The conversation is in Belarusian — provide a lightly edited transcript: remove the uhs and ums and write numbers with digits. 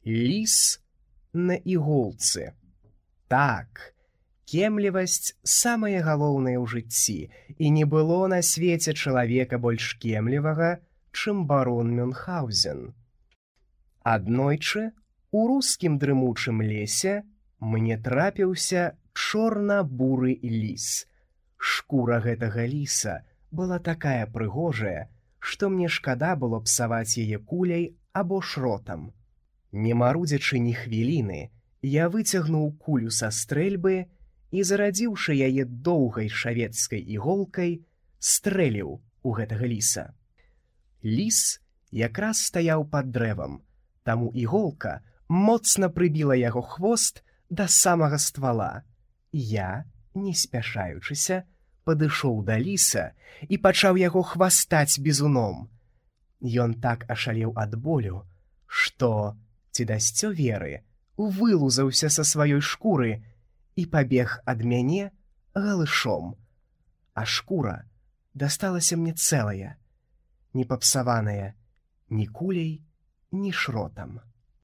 Ліс на іголцы. Так, кемлівасць самае галоўнае ў жыцці, і не было на свеце чалавека больш кемлівага, чым барон Мюнхгаузен. Аднойчы у рускім дрымучым лесе мне трапіўся чорна-буры ліс. Шкура гэтага ліса была такая прыгожая, што мне шкада было псаваць яе куляй або шротам. Не марудзячы ні хвіліны, я выцягнуў кулю са стрэльбы і, зарадзіўшы яе доўгай шавецкай іголкай, стрэліў у гэтага ліса. Ліс якраз стаяў пад дрэвам, таму іголка моцна прыбіла яго хвост да самага ствала. Я, не спяшаючыся, падышоў да ліса і пачаў яго хвастаць бізуном. Ён так ашалеў ад болю, што, ці дасцё веры, вылузаўся са сваёй шкуры і пабег ад мяне галышом. А шкура дасталася мне цэлая, не папсаваная ні куляй, ні шротам.